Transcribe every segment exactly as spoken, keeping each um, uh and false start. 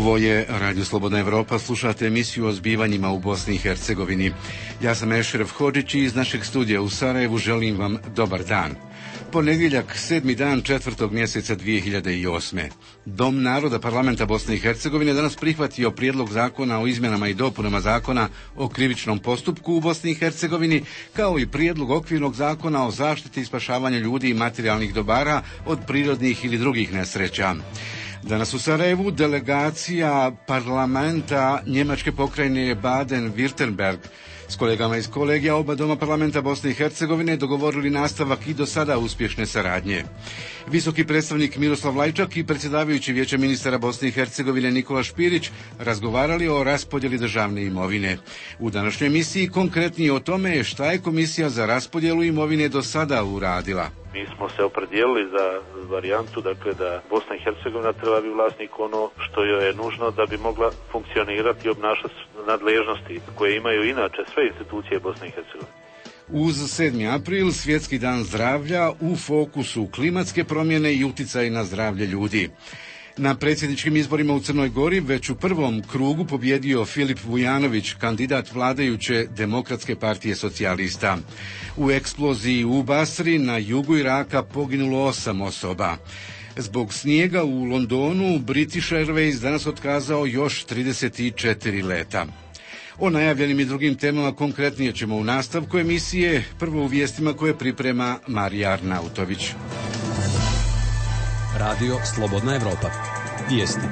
Ovo je Radio Slobodna Evropa, slušate emisiju o zbivanjima u Bosni i Hercegovini. Ja sam Ešref Hodžić i iz našeg studija u Sarajevu želim vam dobar dan. Ponedjeljak, sedmi dan četvrtog mjeseca dvije hiljade osme. Dom naroda Parlamenta Bosne i Hercegovine danas prihvatio prijedlog zakona o izmjenama i dopunama zakona o krivičnom postupku u Bosni i Hercegovini, kao i prijedlog okvirnog zakona o zaštiti i spašavanju ljudi i materijalnih dobara od prirodnih ili drugih nesreća. Danas u Sarajevu delegacija parlamenta Njemačke pokrajine Baden-Württemberg s kolegama iz kolegija oba doma parlamenta Bosne i Hercegovine dogovorili nastavak i do sada uspješne saradnje. Visoki predstavnik Miroslav Lajčak i predsjedavajući Vijeća ministara Bosne i Hercegovine Nikola Špirić razgovarali o raspodjeli državne imovine. U današnjoj emisiji konkretnije o tome šta je Komisija za raspodjelu imovine do sada uradila. Mi smo se opredijelili za varijantu, dakle, da Bosna i Hercegovina treba biti vlasnik ono što joj je nužno da bi mogla funkcionirati i obnašati nadležnosti koje imaju inače sve institucije Bosne i Hercegovine. Uz sedmi april, Svjetski dan zdravlja, u fokusu klimatske promjene i utjecaj na zdravlje ljudi. Na predsjedničkim izborima u Crnoj Gori već u prvom krugu pobjedio Filip Vujanović, kandidat vladajuće Demokratske partije socijalista. U eksploziji u Basri na jugu Iraka poginulo osam osoba. Zbog snijega u Londonu British Airways danas otkazao još trideset četiri leta. O najavljenim i drugim temama konkretnije ćemo u nastavku emisije, prvo u vijestima koje priprema Marija Arnautović. Radio Slobodna Evropa. Vijesti.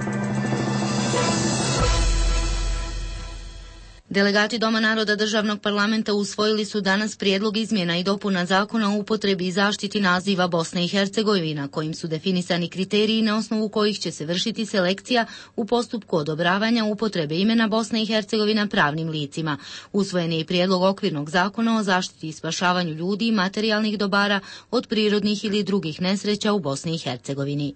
Delegati Doma naroda Državnog parlamenta usvojili su danas prijedlog izmjena i dopuna zakona o upotrebi i zaštiti naziva Bosne i Hercegovina, kojim su definisani kriteriji na osnovu kojih će se vršiti selekcija u postupku odobravanja upotrebe imena Bosna i Hercegovina pravnim licima. Usvojen je i prijedlog okvirnog zakona o zaštiti i spašavanju ljudi i materijalnih dobara od prirodnih ili drugih nesreća u Bosni i Hercegovini.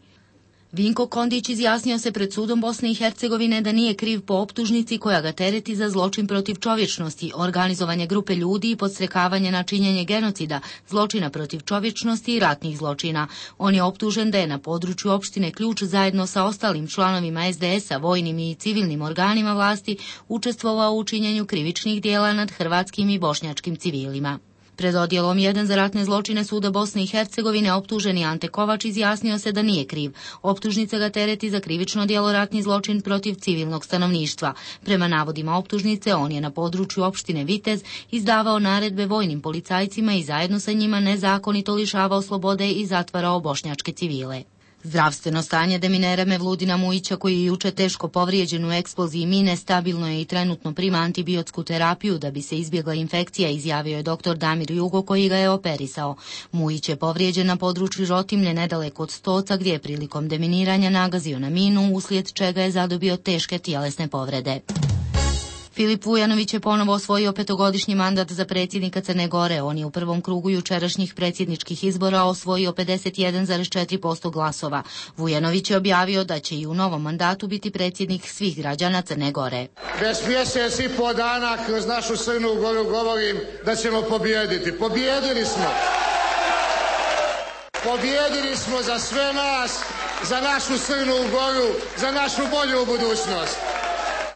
Vinko Kondić izjasnio se pred sudom Bosne i Hercegovine da nije kriv po optužnici koja ga tereti za zločin protiv čovječnosti, organizovanje grupe ljudi i podstrekavanje na činjenje genocida, zločina protiv čovječnosti i ratnih zločina. On je optužen da je na području opštine Ključ zajedno sa ostalim članovima es de es a, vojnim i civilnim organima vlasti učestvovao u činjenju krivičnih dijela nad hrvatskim i bošnjačkim civilima. Pred odjelom jedan za ratne zločine suda Bosne i Hercegovine optuženi Ante Kovač izjasnio se da nije kriv. Optužnica ga tereti za krivično djelo ratni zločin protiv civilnog stanovništva. Prema navodima optužnice, on je na području opštine Vitez izdavao naredbe vojnim policajcima i zajedno sa njima nezakonito lišavao slobode i zatvarao bošnjačke civile. Zdravstveno stanje deminera Mevludina Mujića, koji je juče teško povrijeđen u eksploziji mine, stabilno je i trenutno prima antibiotsku terapiju da bi se izbjegla infekcija, izjavio je doktor Damir Jugo koji ga je operisao. Mujić je povrijeđen na području Žotimlje nedaleko od Stoca, gdje je prilikom deminiranja nagazio na minu, uslijed čega je zadobio teške tjelesne povrede. Filip Vujanović je ponovo osvojio petogodišnji mandat za predsjednika Crne Gore. On je u prvom krugu jučerašnjih predsjedničkih izbora osvojio pedeset jedan zarez četiri posto glasova. Vujanović je objavio da će i u novom mandatu biti predsjednik svih građana Crne Gore. Već mjesec i po dana kroz našu Crnu Goru govorim da ćemo pobijediti. Pobijedili smo. Pobijedili smo za sve nas, za našu Crnu Goru, za našu bolju budućnost.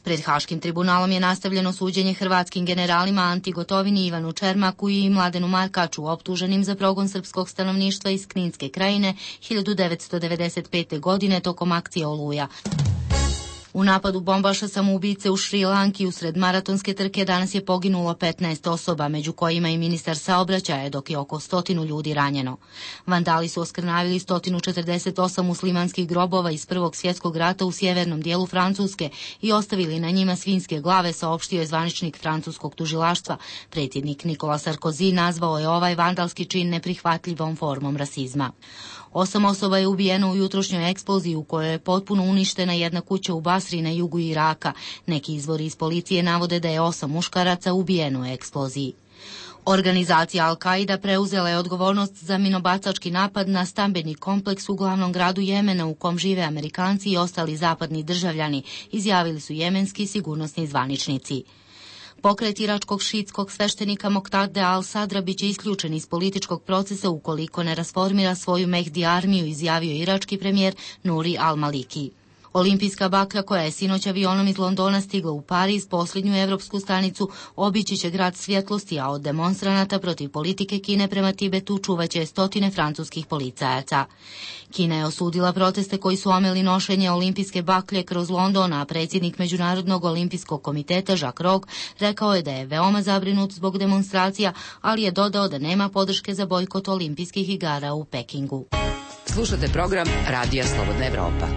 Pred Haškim tribunalom je nastavljeno suđenje hrvatskim generalima Anti Gotovini, Ivanu Čermaku i Mladenu Markaču, optuženim za progon srpskog stanovništva iz Kninske krajine hiljadu devetsto devedeset pete. godine tokom akcije Oluja. U napadu bombaša samoubice u Šri Lanki usred maratonske trke danas je poginulo petnaest osoba, među kojima i ministar saobraćaja, dok je oko stotinu ljudi ranjeno. Vandali su oskrnavili sto četrdeset osam muslimanskih grobova iz Prvog svjetskog rata u sjevernom dijelu Francuske i ostavili na njima svinjske glave, saopštio je zvaničnik francuskog tužilaštva. Predsjednik Nikola Sarkozy nazvao je ovaj vandalski čin neprihvatljivom formom rasizma. Osam osoba je ubijeno u jutrošnjoj eksploziji u kojoj je potpuno uništena jedna kuća u Basri na jugu Iraka. Neki izvori iz policije navode da je osam muškaraca ubijeno u eksploziji. Organizacija Al-Qaida preuzela je odgovornost za minobacački napad na stambeni kompleks u glavnom gradu Jemena u kom žive Amerikanci i ostali zapadni državljani, izjavili su jemenski sigurnosni zvaničnici. Pokret iračkog šiitskog sveštenika Moktade al-Sadra biće isključen iz političkog procesa ukoliko ne rasformira svoju Mehdi armiju, izjavio irački premijer Nuri al-Maliki. Olimpijska baklja koja je sinoć avionom iz Londona stigla u Pariz, posljednju evropsku stanicu, obići će grad svjetlosti, a od demonstranata protiv politike Kine prema Tibetu čuvaće stotine francuskih policajaca. Kina je osudila proteste koji su omeli nošenje olimpijske baklje kroz London, a predsjednik Međunarodnog olimpijskog komiteta Jacques Rogge rekao je da je veoma zabrinut zbog demonstracija, ali je dodao da nema podrške za bojkot olimpijskih igara u Pekingu. Slušate program Radija Slobodna Evropa.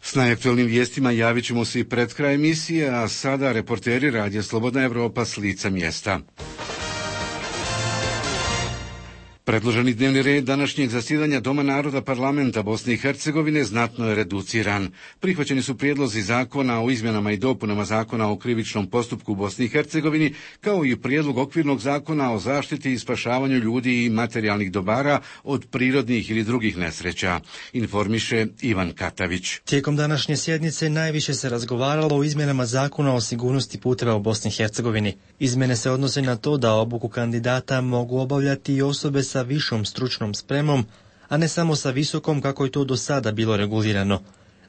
S najaktualnim vijestima javit ćemo se i pred kraj emisije, a sada reporteri Radija Slobodna Evropa s lica mjesta. Predloženi dnevni red današnjeg zasjedanja Doma naroda parlamenta Bosne i Hercegovine znatno je reduciran. Prihvaćeni su prijedlozi zakona o izmjenama i dopunama zakona o krivičnom postupku u Bosni i Hercegovini, kao i prijedlog okvirnog zakona o zaštiti i spašavanju ljudi i materijalnih dobara od prirodnih ili drugih nesreća, informiše Ivan Katavić. Tijekom današnje sjednice najviše se razgovaralo o izmjenama zakona o sigurnosti puteva u Bosni i Hercegovini. Izmjene se odnose na to da obuku kandidata mogu obavljati i osobe sa višom stručnom spremom, a ne samo sa visokom kako je to do sada bilo regulirano.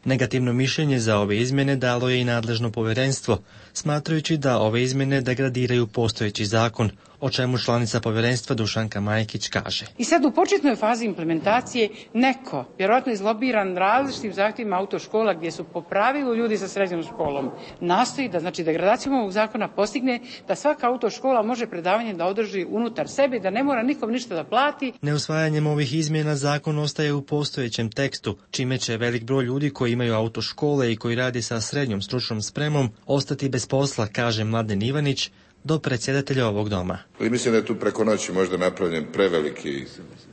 Negativno mišljenje za ove izmjene dalo je i nadležno povjerenstvo, smatrajući da ove izmjene degradiraju postojeći zakon, o čemu članica povjerenstva Dušanka Majkić kaže. I sad u početnoj fazi implementacije neko, vjerojatno izlobiran različitim zahtjevima autoškola gdje su po pravilu ljudi sa srednjom školom, nastoji da, znači, degradacijom ovog zakona postigne da svaka autoškola može predavanje da održi unutar sebe, da ne mora nikom ništa da plati. Neusvajanjem ovih izmjena zakon ostaje u postojećem tekstu, čime će velik broj ljudi koji imaju autoškole i koji radi sa srednjom stručnom spremom ostati bez posla, kaže Mladen Ivanić, do predsjedatelja ovog doma. I mislim da je tu preko noći možda napravljen preveliki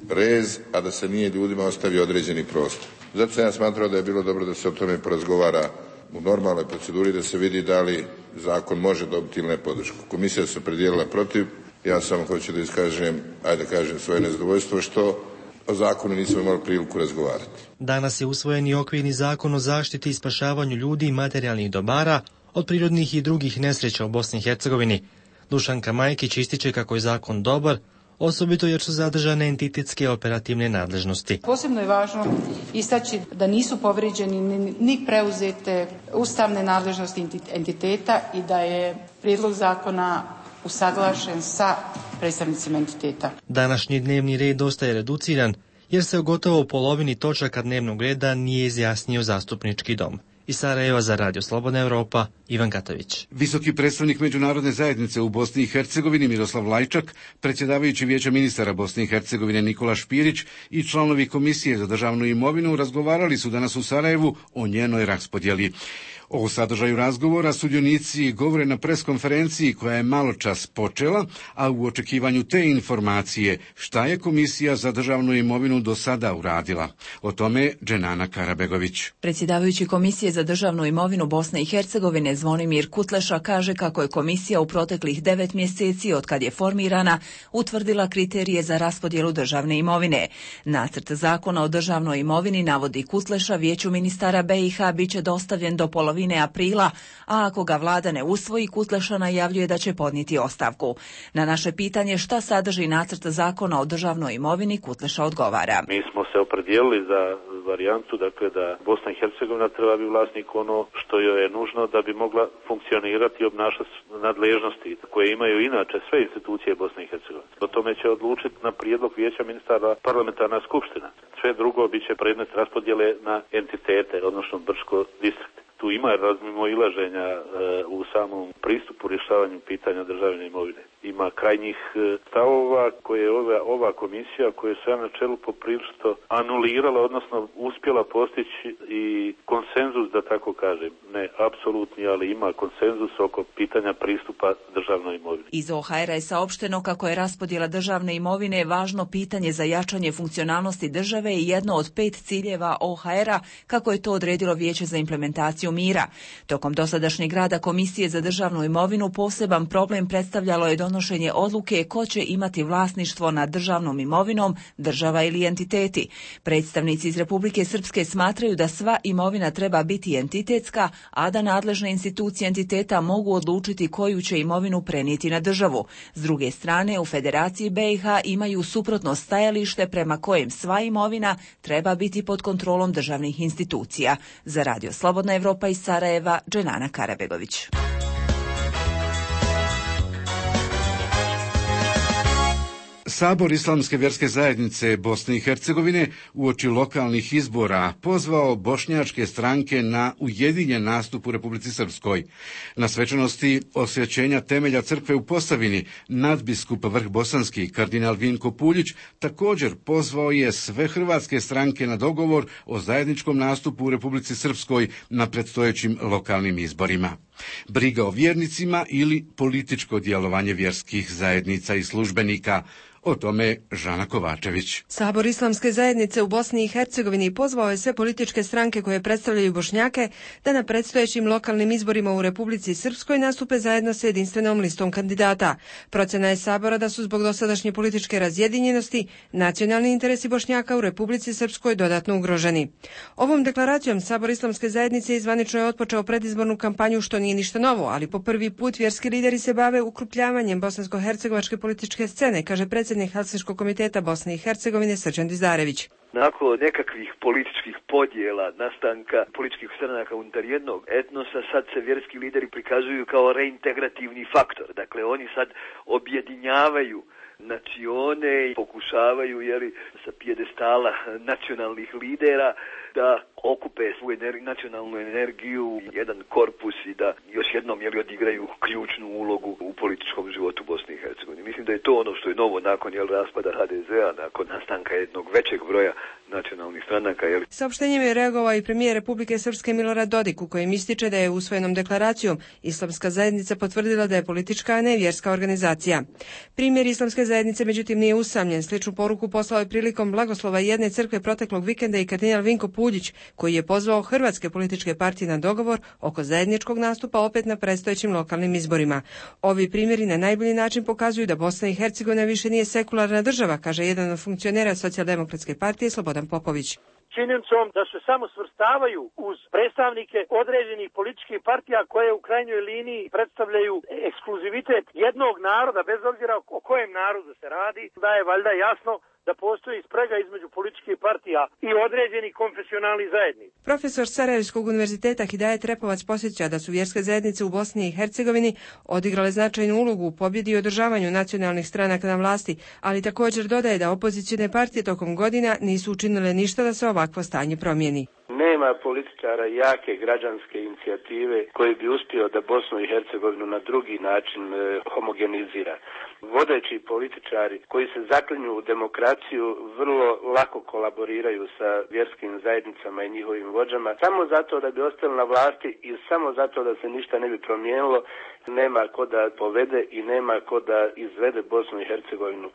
rez, a da se nije ljudima ostavio određeni prostor. Zato sam ja smatrao da je bilo dobro da se o tome porazgovara u normalnoj proceduri, da se vidi da li zakon može dobiti ili ne podršku. Komisija se opredijelila protiv, ja samo hoću da iskažem, ajde kažem, svoje nezadovoljstvo što o zakonu nismo imali priliku razgovarati. Danas je usvojen i okvirni zakon o zaštiti i spašavanju ljudi i materijalnih dobara od prirodnih i drugih nesreća u Bosni i Hercegovini. Dušanka Majkić ističe kako je zakon dobar, osobito jer su zadržane entitetske operativne nadležnosti. Posebno je važno istaći da nisu povrijeđeni ni preuzete ustavne nadležnosti entiteta i da je prijedlog zakona usaglašen sa predstavnicima entiteta. Današnji dnevni red dosta je reduciran, jer se u gotovo polovini točaka dnevnog reda nije izjasnio zastupnički dom. Iz Sarajeva za Radio Slobodna Evropa, Ivan Katavić. Visoki predstavnik međunarodne zajednice u Bosni i Hercegovini Miroslav Lajčak, predsjedavajući Vijeća ministara Bosne i Hercegovine Nikola Špirić i članovi Komisije za državnu imovinu razgovarali su danas u Sarajevu o njenoj raspodjeli. O sadržaju razgovora sudionici govore na preskonferenciji koja je malo čas počela, a u očekivanju te informacije šta je Komisija za državnu imovinu do sada uradila. O tome Dženana Karabegović. Predsjedavajući Komisije za državnu imovinu Bosne i Hercegovine Zvonimir Kutleša kaže kako je komisija u proteklih devet mjeseci od kad je formirana utvrdila kriterije za raspodjelu državne imovine. Nacrt zakona o državnoj imovini, navodi Kutleša, Vijeću ministara B i H biće dostavljen do polovine aprila, a ako ga vlada ne usvoji, Kutleša najavljuje da će podnijeti ostavku. Na naše pitanje šta sadrži nacrt zakona o državnoj imovini, Kutleša odgovara. Mi smo se opredijelili za varijantu, dakle da Bosna i Hercegovina treba biti vlasnik ono što joj je nužno da bi mogla funkcionirati i obnašati nadležnosti koje imaju inače sve institucije Bosne i Hercegovine. O tome će odlučiti na prijedlog Vijeća ministara parlamentarna skupština. Sve drugo biće predmet raspodjele na entitete, odnosno Brčko distrikt. Tu ima razmimoilaženja e, u samom pristupu rješavanju pitanja državne imovine. Ima krajnjih e, stavova koje je ova, ova komisija, koja je sve na čelu poprilično anulirala, odnosno uspjela postići i konsenzus, da tako kažem. Ne apsolutni, ali ima konsenzus oko pitanja pristupa državnoj imovini. Iz O H R-a je saopšteno kako je raspodjela državne imovine važno pitanje za jačanje funkcionalnosti države i jedno od pet ciljeva O H R-a, kako je to odredilo Vijeće za implementaciju mira. Tokom dosadašnjeg rada Komisije za državnu imovinu poseban problem predstavljalo je donošenje odluke ko će imati vlasništvo nad državnom imovinom, država ili entiteti. Predstavnici iz Republike Srpske smatraju da sva imovina treba biti entitetska, a tada nadležne institucije entiteta mogu odlučiti koju će imovinu prenijeti na državu. S druge strane, u Federaciji B i H imaju suprotno stajalište prema kojem sva imovina treba biti pod kontrolom državnih institucija. Za Radio Slobodna Evropa iz Sarajeva, Dženana Karabegović. Sabor Islamske vjerske zajednice Bosne i Hercegovine uoči lokalnih izbora pozvao bošnjačke stranke na ujedinjen nastup u Republici Srpskoj. Na svečanosti osvećenja temelja crkve u Posavini nadbiskup Vrh Bosanski kardinal Vinko Puljić također pozvao je sve hrvatske stranke na dogovor o zajedničkom nastupu u Republici Srpskoj na predstojećim lokalnim izborima. Briga o vjernicima ili političko djelovanje vjerskih zajednica i službenika. O tome Žana Kovačević. Sabor Islamske zajednice u Bosni i Hercegovini pozvao je sve političke stranke koje predstavljaju Bošnjake da na predstojećim lokalnim izborima u Republici Srpskoj nastupe zajedno sa jedinstvenom listom kandidata. Procena je Sabora da su zbog dosadašnje političke razjedinjenosti nacionalni interesi Bošnjaka u Republici Srpskoj dodatno ugroženi. Ovom deklaracijom Sabor Islamske zajednice izvanično je otpočeo predizbornu kampanju, što nije ništa novo, ali po prvi put vjerski lideri se bave ukrupljavanjem bosansko-hercegovačke političke scene, kaže predsjednik Helsinškog komiteta Bosne i Hercegovine Srđan Dizdarević. Nakon nekakvih političkih podjela, nastanka političkih stranaka unutar jednog etnosa, sad se vjerski lideri prikazuju kao reintegrativni faktor. Dakle, oni sad objedinjavaju nacione i pokušavaju, jeli, sa pijedestala nacionalnih lidera da okupe svoju ener- nacionalnu energiju, jedan korpus i da još jednom, jeli, odigraju ključnu ulogu u političkom životu Bosne i Hercegovine. Mislim da je to ono što je novo nakon, jel, raspada H D Z-a, nakon nastanka jednog većeg broja nacionalnih stranaka. Jel. Saopštenjem je reagovao i premijer Republike Srpske Milorad Dodik, u kojem ističe da je usvojenom deklaracijom Islamska zajednica potvrdila da je politička, a ne vjerska organizacija. Primjer Islamske zajednice međutim nije usamljen. Sličnu poruku poslao je prilikom blagoslova jedne crkve proteklog vikenda i kardinal Vinko Puljić, koji je pozvao hrvatske političke partije na dogovor oko zajedničkog nastupa opet na predstojećim lokalnim izborima. Ovi primjeri na najbolji način pokazuju da Bosna i Hercegovina više nije sekularna država, kaže jedan od funkcionera Socijaldemokratske partije Slobodan Popović. Činjenicom da se samo svrstavaju uz predstavnike određenih političkih partija koje u krajnjoj liniji predstavljaju ekskluzivitet jednog naroda, bez obzira o kojem narodu se radi, da je valjda jasno da postoji sprega između političkih partija i određenih konfesionalnih zajednica. Profesor Sarajevskog univerziteta Hidajet Repovac posjeća da su vjerske zajednice u Bosni i Hercegovini odigrale značajnu ulogu u pobjedi i održavanju nacionalnih stranaka na vlasti, ali također dodaje da opozicione partije tokom godina nisu učinile ništa da se ovakvo stanje promijeni. Nema političara jake građanske inicijative koji bi uspio da Bosnu i Hercegovinu na drugi način e, homogenizira. Vodeći političari koji se zaklinju u demokraciju vrlo lako kolaboriraju sa vjerskim zajednicama i njihovim vođama samo zato da bi ostali na vlasti i samo zato da se ništa ne bi promijenilo. Nema ko da povede i nema ko da izvede Bosnu i Hercegovinu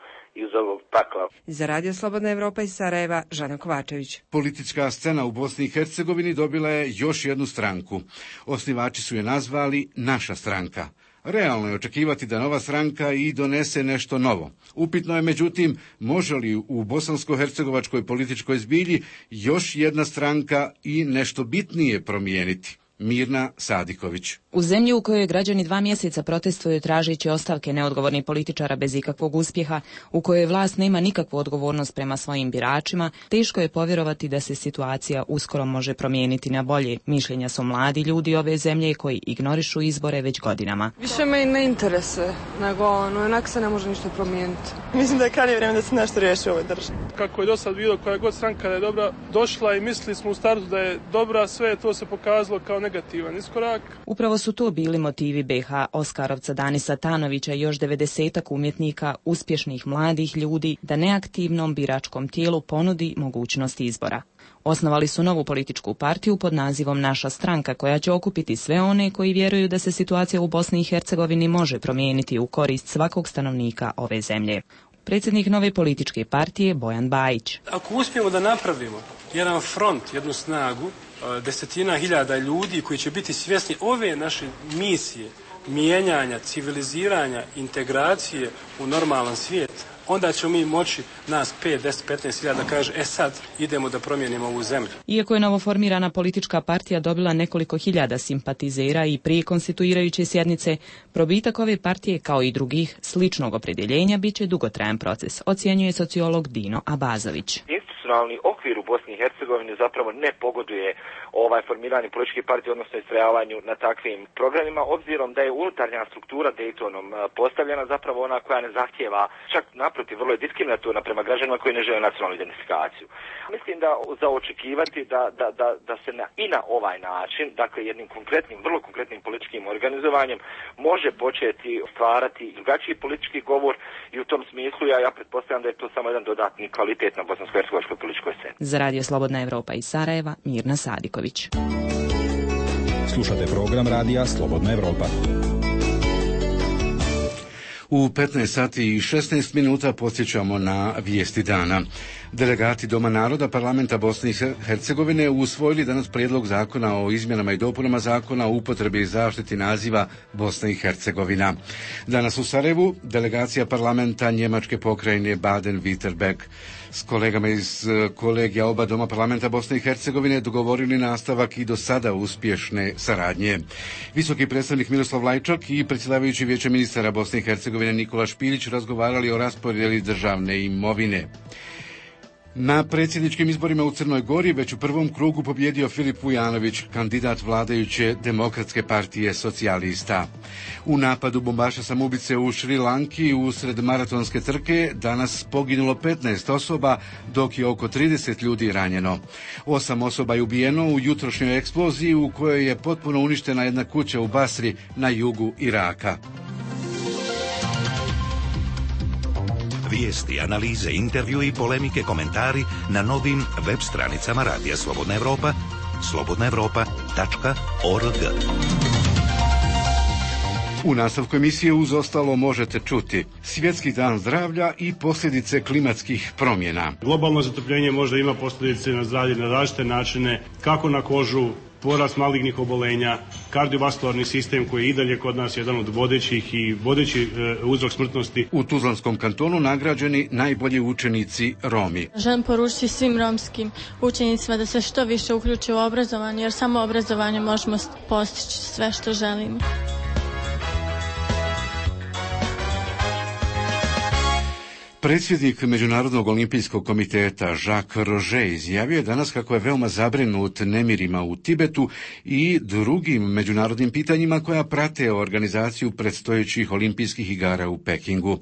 iz ovog pakla. Za Radio Slobodna Evropa iz Sarajeva, Žana Kovačević. Politička scena u Bosni i Hercegovini dobila je još jednu stranku. Osnivači su je nazvali Naša stranka. Realno je očekivati da nova stranka i donese nešto novo. Upitno je, međutim, može li u bosansko-hercegovačkoj političkoj zbilji još jedna stranka i nešto bitnije promijeniti. Mirna Sadiković. U zemlji u kojoj građani dva mjeseca protestuju tražeći ostavke neodgovornih političara bez ikakvog uspjeha, u kojoj vlast nema nikakvu odgovornost prema svojim biračima, teško je povjerovati da se situacija uskoro može promijeniti na bolje. Mišljenja su mladi ljudi ove zemlje koji ignorišu izbore već godinama. Više me ne interese, nego ono, onak se ne može ništa promijeniti. Mislim da je krajnje vrijeme da se nešto riješi u ovoj državi. Kako je do sad bilo, koja god stranka da je dobra došla i mislili smo u startu da je dobra, sve to se pokazalo kao negativan iskorak. Upravo su to bili motivi B H Oskarovca Danisa Tanovića i još devedesetak umjetnika, uspješnih mladih ljudi, da neaktivnom biračkom tijelu ponudi mogućnost izbora. Osnovali su novu političku partiju pod nazivom Naša stranka, koja će okupiti sve one koji vjeruju da se situacija u Bosni i Hercegovini može promijeniti u korist svakog stanovnika ove zemlje. Predsjednik nove političke partije Bojan Bajić. Ako uspijemo da napravimo jedan front, jednu snagu, desetina hiljada ljudi koji će biti svjesni ove naše misije, mijenjanja, civiliziranja, integracije u normalan svijet, onda ćemo mi moći nas pet, deset, petnaest hiljada da kaže, e sad idemo da promijenimo ovu zemlju. Iako je novoformirana politička partija dobila nekoliko hiljada simpatizera i prije konstituirajuće sjednice, probitak ove partije kao i drugih sličnog opredjeljenja bit će dugotrajan proces, ocjenjuje sociolog Dino Abazović. Institucionalni okvir u Bosni i Hercegovini zapravo ne pogoduje ovaj formiranje političke partije, odnosno istrajavanju na takvim programima, obzirom da je unutarnja struktura Daytonom postavljena zapravo ona koja ne zahtijeva, čak naprotiv, vrlo je diskriminatorna prema građanima koji ne žele nacionalnu identifikaciju. Mislim da za očekivati da, da, da, da se na, i na ovaj način, dakle jednim konkretnim, vrlo konkretnim političkim organizovanjem, može početi stvarati drugačiji politički govor i u tom smislu ja, ja pretpostavljam da je to samo jedan dodatni kvalitet na bosansko-hercegovačkoj političkoj sceni. Za Radio Slobodna Evropa iz Sarajeva, Mirna Sadiković. Slušate program Radija Slobodna Evropa. U petnaest sati i šesnaest minuta podsjećamo na vijesti dana. Delegati Doma naroda Parlamenta Bosne i Hercegovine usvojili danas prijedlog zakona o izmjenama i dopunama zakona o upotrebi i zaštiti naziva Bosna i Hercegovina. Danas u Sarajevu delegacija parlamenta Njemačke pokrajine Baden-Württemberg s kolegama iz kolegija oba Doma parlamenta Bosne i Hercegovine dogovorili nastavak i do sada uspješne saradnje. Visoki predstavnik Miroslav Lajčak i predsjedavajući Vijeća ministara Bosne i Hercegovine Nikola Špilić razgovarali o raspodjeli državne imovine. Na predsjedničkim izborima u Crnoj Gori već u prvom krugu pobjedio Filip Vujanović, kandidat vladajuće Demokratske partije socijalista. U napadu bombaša samoubice u Šri Lanki usred maratonske trke danas poginulo petnaest osoba, dok je oko trideset ljudi ranjeno. Osam osoba je ubijeno u jutrošnjoj eksploziji u kojoj je potpuno uništena jedna kuća u Basri na jugu Iraka. Vijesti, analize, intervju i polemike, komentari na novim web stranicama Radija Slobodna Evropa, slobodna evropa tačka org. U nastavku emisije uz ostalo možete čuti Svjetski dan zdravlja i posljedice klimatskih promjena. Globalno zatopljenje možda ima posljedice na zdravlje na različite načine, kako na kožu, porast malignih obolenja, kardiovaskularni sistem koji je i dalje kod nas jedan od vodećih i vodeći e, uzrok smrtnosti. U Tuzlanskom kantonu nagrađeni najbolji učenici Romi. Želim poručiti svim romskim učenicima da se što više uključe u obrazovanje, jer samo obrazovanje možemo postići sve što želimo. Predsjednik Međunarodnog olimpijskog komiteta Jacques Roger izjavio je danas kako je veoma zabrinut nemirima u Tibetu i drugim međunarodnim pitanjima koja prate organizaciju predstojećih olimpijskih igara u Pekingu.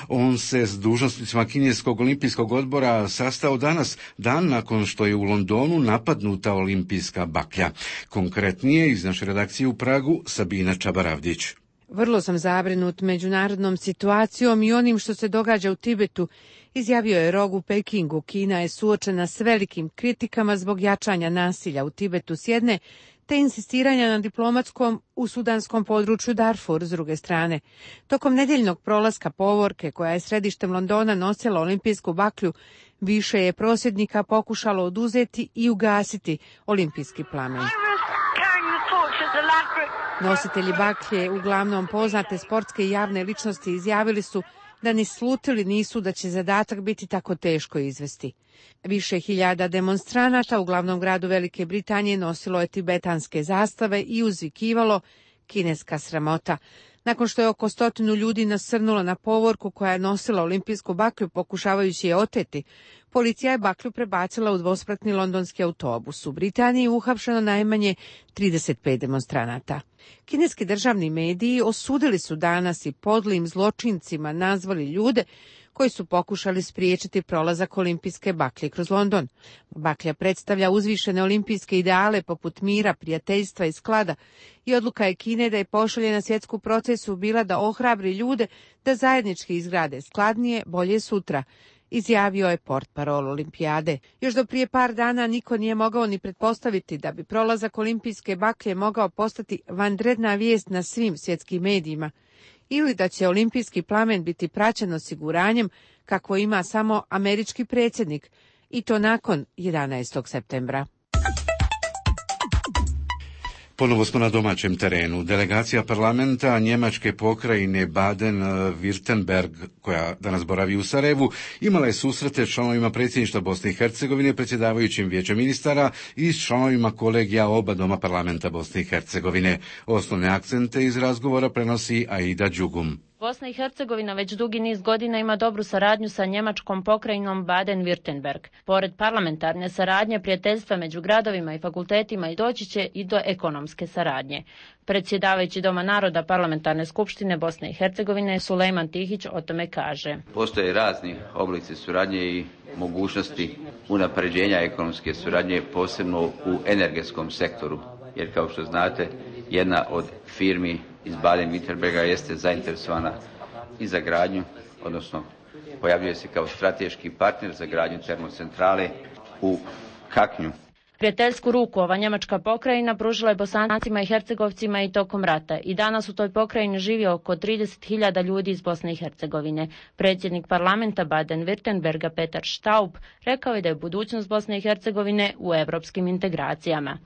On se s dužnosnicima Kineskog olimpijskog odbora sastao danas, dan nakon što je u Londonu napadnuta olimpijska baklja. Konkretnije iz naše redakcije u Pragu Sabina Čabaravdić. Vrlo sam zabrinut međunarodnom situacijom i onim što se događa u Tibetu, izjavio je Rog u Pekingu. Kina je suočena s velikim kritikama zbog jačanja nasilja u Tibetu s jedne, te insistiranja na diplomatskom u sudanskom području Darfur s druge strane. Tokom nedjeljnog prolaska povorke, koja je središtem Londona nosila olimpijsku baklju, više je prosvjednika pokušalo oduzeti i ugasiti olimpijski plamen. Nositelji baklje, uglavnom poznate sportske i javne ličnosti, izjavili su da ni slutili nisu da će zadatak biti tako teško izvesti. Više hiljada demonstranata u glavnom gradu Velike Britanije nosilo je tibetanske zastave i uzvikivalo kineska sramota. Nakon što je oko stotinu ljudi nasrnulo na povorku koja je nosila olimpijsku baklju pokušavajući je oteti, policija je baklju prebacila u dvospratni londonski autobus. U Britaniji uhapšeno najmanje trideset pet demonstranata. Kineski državni mediji osudili su danas i podlim zločincima nazvali ljude koji su pokušali spriječiti prolazak olimpijske baklje kroz London. Baklja predstavlja uzvišene olimpijske ideale poput mira, prijateljstva i sklada i odluka je Kine da je pošalje na svjetsku procesu bila da ohrabri ljude da zajednički izgrade skladnije, bolje sutra, izjavio je portparol olimpijade. Još do prije par dana niko nije mogao ni pretpostaviti da bi prolazak olimpijske baklje mogao postati vanredna vijest na svim svjetskim medijima ili da će olimpijski plamen biti praćen osiguranjem kako ima samo američki predsjednik, i to nakon jedanaestog septembra. Ponovo smo na domaćem terenu. Delegacija parlamenta njemačke pokrajine Baden-Württemberg, koja danas boravi u Sarajevu, imala je susrete s članovima predsjedništva Bosne i Hercegovine, predsjedavajućim vijećem ministara i s članovima kolegija oba doma parlamenta Bosne i Hercegovine. Osnovne akcente iz razgovora prenosi Aida Đugum. Bosna i Hercegovina već dugi niz godina ima dobru saradnju sa njemačkom pokrajinom Baden-Württemberg. Pored parlamentarne saradnje, prijateljstva među gradovima i fakultetima i doći će i do ekonomske saradnje. Predsjedavajući Doma naroda Parlamentarne skupštine Bosne i Hercegovine Sulejman Tihić o tome kaže. Postoje razni oblici suradnje i mogućnosti unapređenja ekonomske suradnje, posebno u energetskom sektoru, jer kao što znate, jedna od firmi iz Baden-Württemberga jeste zainteresovana i za gradnju, odnosno pojavljuje se kao strateški partner za gradnju termocentrale u Kaknju. Prijateljsku ruku ova njemačka pokrajina pružila je Bosancima i Hercegovcima i tokom rata i danas u toj pokrajini živi oko trideset hiljada ljudi iz Bosne i Hercegovine. Predsjednik parlamenta Baden-Württemberga Petar Staub rekao je da je budućnost Bosne i Hercegovine u evropskim integracijama.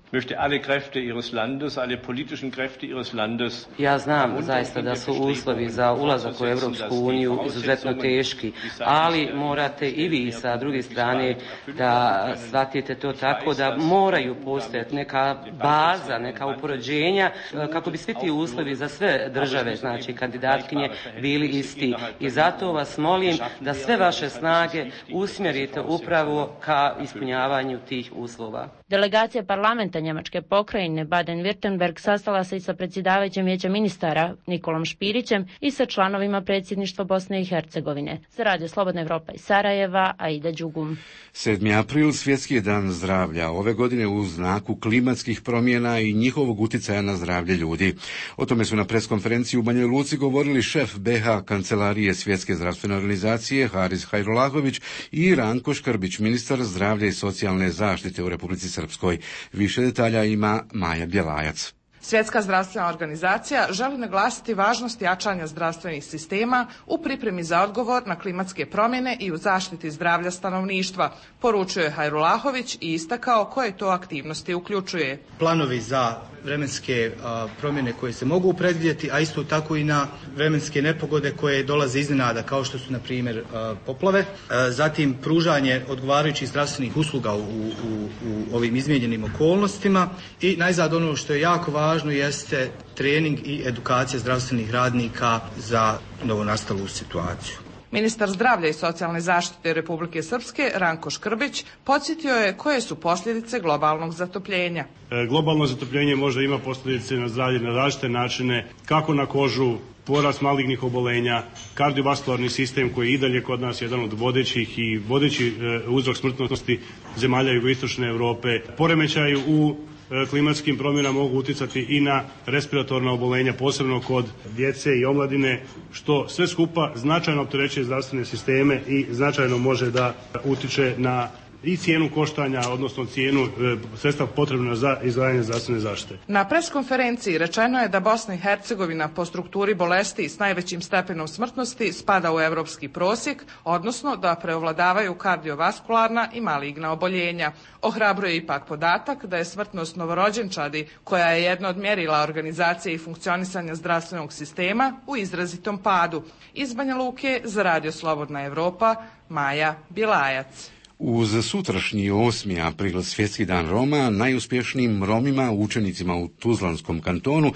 Ja znam zaista da su uslovi za ulazak u Evropsku uniju izuzetno teški, ali morate i vi sa druge strane da shvatite to tako da moraju postojati neka baza, neka upoređenja kako bi svi ti uslovi za sve države, znači kandidatkinje, bili isti. I zato vas molim da sve vaše snage usmjerite upravo ka ispunjavanju tih uslova. Delegacija parlamenta njemačke pokrajine Baden-Württemberg sastala se i sa predsjedavajućim vijeća ministara Nikolom Špirićem i sa članovima predsjedništva Bosne i Hercegovine. Za Radio Slobodna Evropa iz Sarajeva, Aida Đugum. sedmi april, svjetski dan zdravlja, ove godine u znaku klimatskih promjena i njihovog utjecaja na zdravlje ljudi. O tome su na preskonferenciji u Banjoj Luci govorili šef be ha Kancelarije Svjetske zdravstvene organizacije Haris Hajrulahović i Ranko Škrbić, ministar zdravlja i socijalne zaštite u Republici Srpskoj. Više detalja ima Maja Bjelajac. Svjetska zdravstvena organizacija želi naglasiti važnost jačanja zdravstvenih sistema u pripremi za odgovor na klimatske promjene i u zaštiti zdravlja stanovništva, poručuje Hajrulahović i istakao koje to aktivnosti uključuje. Planovi za vremenske a, promjene koje se mogu predvidjeti, a isto tako i na vremenske nepogode koje dolaze iznenada, kao što su na primjer a, poplave. A, zatim pružanje odgovarajućih zdravstvenih usluga u, u, u ovim izmijenjenim okolnostima i najzad ono što je jako važno jeste trening i edukacija zdravstvenih radnika za novonastalu situaciju. Ministar zdravlja i socijalne zaštite Republike Srpske Ranko Škrbić podsjetio je koje su posljedice globalnog zatopljenja. E, globalno zatopljenje možda ima posljedice na zdravlje na različite načine, kako na kožu, porast malignih obolenja, kardiovaskularni sistem koji je i dalje kod nas jedan od vodećih i vodeći e, uzrok smrtnosti zemalja jugoistočne Europe, poremećaju u klimatskim promjenama mogu utjecati i na respiratorna obolenja, posebno kod djece i omladine, što sve skupa značajno opterećuje zdravstvene sisteme i značajno može da utiče na i cijenu koštanja, odnosno cijenu e, sredstva potrebna za izdvajanje zdravstvene zaštite. Na preskonferenciji rečeno je da Bosna i Hercegovina po strukturi bolesti s najvećim stepenom smrtnosti spada u evropski prosjek, odnosno da preovladavaju kardiovaskularna i maligna oboljenja. Ohrabruje ipak podatak da je smrtnost novorođenčadi, koja je jedno od mjerila organizacije i funkcionisanja zdravstvenog sistema, u izrazitom padu. Iz Banja Luke za Radio Slobodna Evropa, Maja Bjelajac. Uz sutrašnji osmi april, svjetski dan Roma, najuspješnijim Romima, učenicima u Tuzlanskom kantonu,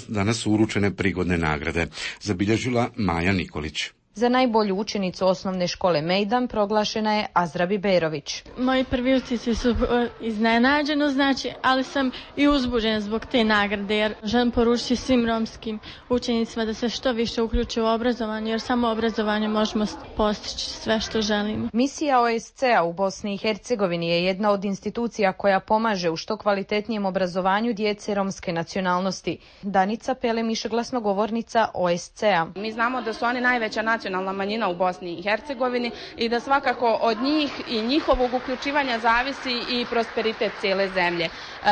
danas su uručene prigodne nagrade. Zabilježila Maja Nikolić. Za najbolju učenicu osnovne škole Mejdan proglašena je Azra Biberović. Moji prvi utisci su iznenađeno, znači, ali sam i uzbuđena zbog te nagrade, jer želim poručiti svim romskim učenicima da se što više uključe u obrazovanje, jer samo obrazovanje možemo postići sve što želimo. Misija o es ce a u Bosni i Hercegovini je jedna od institucija koja pomaže u što kvalitetnijem obrazovanju djece romske nacionalnosti. Danica Pelemiša, glasnogovornica o es ce a. Mi znamo da su oni najveća nacionalna manjina u Bosni i Hercegovini i da svakako od njih i njihovog uključivanja zavisi i prosperitet cijele zemlje. E,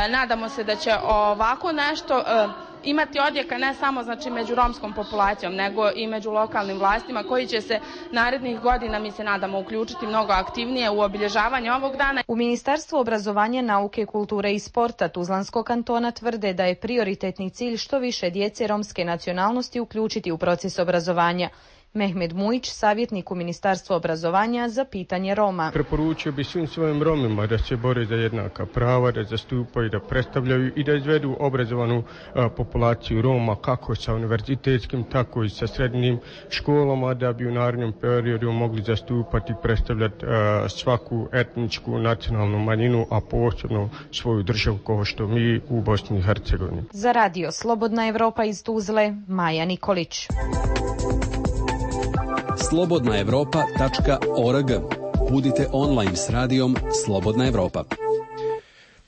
nadamo se da će ovako nešto e, imati odjeka ne samo znači među romskom populacijom, nego i među lokalnim vlastima koji će se narednih godina, mi se nadamo, uključiti mnogo aktivnije u obilježavanje ovog dana. U Ministarstvu obrazovanja, nauke, kulture i sporta Tuzlanskog kantona tvrde da je prioritetni cilj što više djece romske nacionalnosti uključiti u proces obrazovanja. Mehmed Mujić, savjetnik u Ministarstvu obrazovanja za pitanje Roma. Preporučio bi svim svojim Romima da se bore za jednaka prava, da zastupaju, da predstavljaju i da izvedu obrazovanu a, populaciju Roma kako sa univerzitetskim, tako i sa srednjim školama, da bi u narednom periodu mogli zastupati i predstavljati a, svaku etničku nacionalnu manjinu, a posebno svoju državu kao što mi u Bosni i Hercegovini. Za radio Slobodna Evropa iz Tuzle, Maja Nikolić. slobodna evropa tačka org. Budite online s radijom Slobodna Evropa.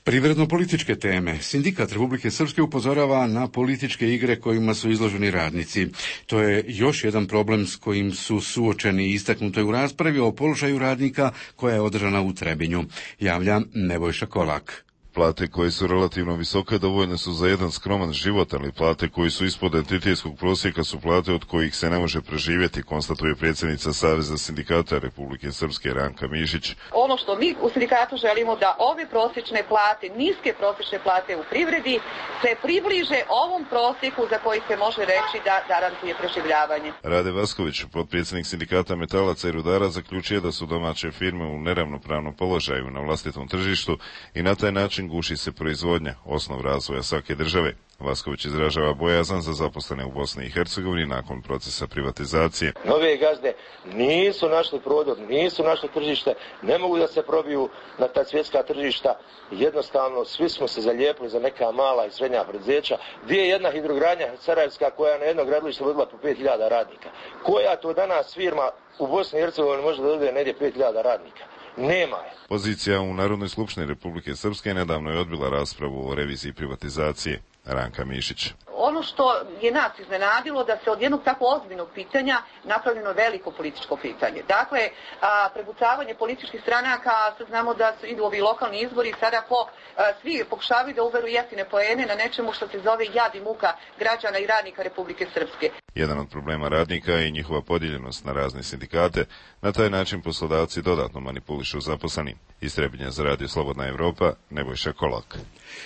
Privredno-političke teme. Sindikat Republike Srpske upozorava na političke igre kojima su izloženi radnici. To je još jedan problem s kojim su suočeni i istaknuto je u raspravi o položaju radnika koja je održana u Trebinju. Javlja Nebojša Kolak. Plate koje su relativno visoke dovoljne su za jedan skroman život, ali plate koji su ispod entitetskog prosjeka su plate od kojih se ne može preživjeti, konstatuje predsjednica Saveza sindikata Republike Srpske Ranka Mišić. Ono što mi u sindikatu želimo da ove prosječne plate, niske prosječne plate u privredi, se približe ovom prosjeku za koji se može reći da garantuje preživljavanje. Rade Vasković, potpredsjednik sindikata metalaca i rudara, zaključuje da su domaće firme u neravnopravnom položaju na vlastitom tržištu i na taj način guši se proizvodnja, osnov razvoja svake države. Vasković izražava bojazan za zaposlene u Bosni i Hercegovini nakon procesa privatizacije. Nove gazde nisu našli prodor, nisu našli tržište, ne mogu da se probiju na ta svjetska tržišta. Jednostavno, svi smo se zalijepili za neka mala i srednja preduzeća. Gdje je jedna hidrogradnja sarajevska koja na jedno gradilište vodila po pet hiljada radnika? Koja to danas firma u Bosni i Hercegovini može da dodije negdje pet hiljada radnika? Nema je. Pozicija u Narodnoj skupštini Republike Srpske nedavno je odbila raspravu o reviziji privatizacije. Ranka Mišić. Ono što je nas iznenadilo da se od jednog tako ozbiljnog pitanja napravljeno veliko političko pitanje. Dakle, a, prebucavanje političkih stranaka, sad znamo da su, idu ovi lokalni izbori, sada po, a, svi pokušavaju da uveru jeftine poene na nečemu što se zove jad i muka građana i radnika Republike Srpske. Jedan od problema radnika je i njihova podijeljenost na razne sindikate. Na taj način poslodavci dodatno manipulišu zaposleni. Iz Trebinja za radio Slobodna Evropa, Nebojša Kolak.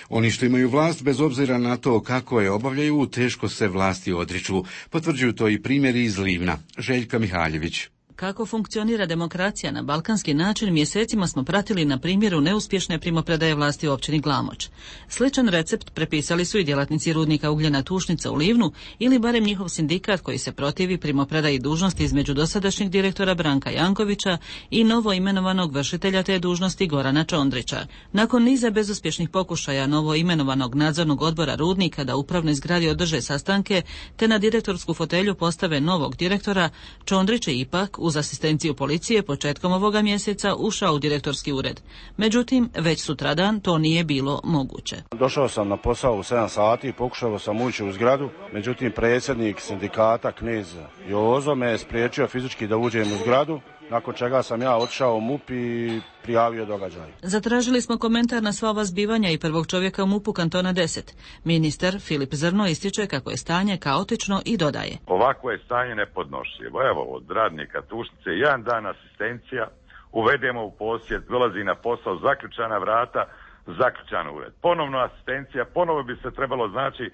Oni što imaju vlast, bez obzira na to kako je obavljaju, teško se vlasti odriču. Potvrđuju to i primjeri iz Livna. Željka Mihaljević. Kako funkcionira demokracija na balkanski način mjesecima smo pratili na primjeru neuspješne primopredaje vlasti u općini Glamoč. Sličan recept prepisali su i djelatnici rudnika ugljena Tušnica u Livnu ili barem njihov sindikat koji se protivi primopredaji dužnosti između dosadašnjeg direktora Branka Jankovića i novo imenovanog vršitelja te dužnosti Gorana Čondrića. Nakon niza bezuspješnih pokušaja novo imenovanog nadzornog odbora rudnika da upravnoj zgradi održe sastanke te na direktorsku fotelju postave novog direktora, Čondrić je ipak uz asistenciju policije početkom ovoga mjeseca ušao u direktorski ured. Međutim, već sutradan to nije bilo moguće. Došao sam na posao u sedam sati, pokušao sam ući u zgradu, međutim predsjednik sindikata knez Jozo me je spriječio fizički da uđem u zgradu, nakon čega sam ja otišao u M U P i prijavio događaj. Zatražili smo komentar na sva ova zbivanja i prvog čovjeka u M U P-u kantona deset. Ministar Filip Zrno ističe kako je stanje kaotično i dodaje. Ovako je stanje nepodnošljivo. Evo, od radnika Tušnice, jedan dan asistencija, uvedemo u posjed, dolazi na posao, zaključana vrata, zaključan ured. Ponovno asistencija, ponovo bi se trebalo znači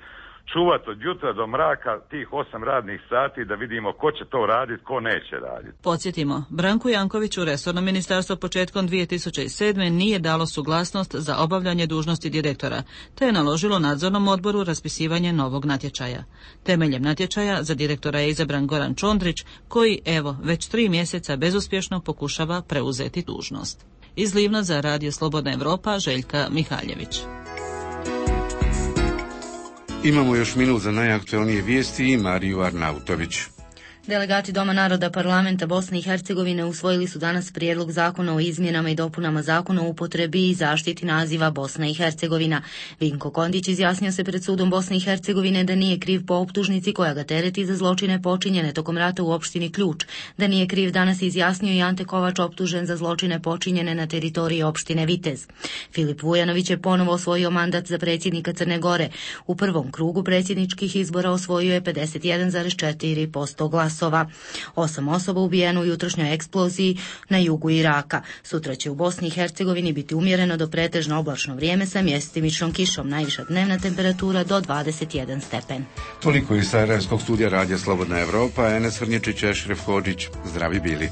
čuvati od jutra do mraka tih osam radnih sati da vidimo ko će to raditi, ko neće raditi. Podsjetimo, Branku Jankoviću resorno ministarstvo početkom dvije tisuće sedme nije dalo suglasnost za obavljanje dužnosti direktora, te je naložilo nadzornom odboru raspisivanje novog natječaja. Temeljem natječaja za direktora je izabran Goran Čondrić, koji evo već tri mjeseca bezuspješno pokušava preuzeti dužnost. Iz Livna za radio Slobodna Evropa, Željka Mihaljević. Imamo još minut za najaktualnije vijesti i Mariju Arnautović. Delegati Doma naroda parlamenta Bosne i Hercegovine usvojili su danas prijedlog zakona o izmjenama i dopunama zakona o upotrebi i zaštiti naziva Bosna i Hercegovina. Vinko Kondić izjasnio se pred sudom Bosne i Hercegovine da nije kriv po optužnici koja ga tereti za zločine počinjene tokom rata u opštini Ključ. Da nije kriv danas izjasnio i Ante Kovač, optužen za zločine počinjene na teritoriji opštine Vitez. Filip Vujanović je ponovo osvojio mandat za predsjednika Crne Gore. U prvom krugu predsjedničkih izbora osvojio je pedeset jedan zarez četiri posto glasova. Osam osoba ubijeno u jutrošnjoj eksploziji na jugu Iraka. Sutra će u Bosni i Hercegovini biti umjereno do pretežno oblačno vrijeme sa mjestimičnom kišom. Najviša dnevna temperatura do dvadeset jedan stepen. Toliko iz Sarajevskog studija Radija Slobodna Evropa. Enes Vrnječić, Ešref Hodžić. Zdravi bili.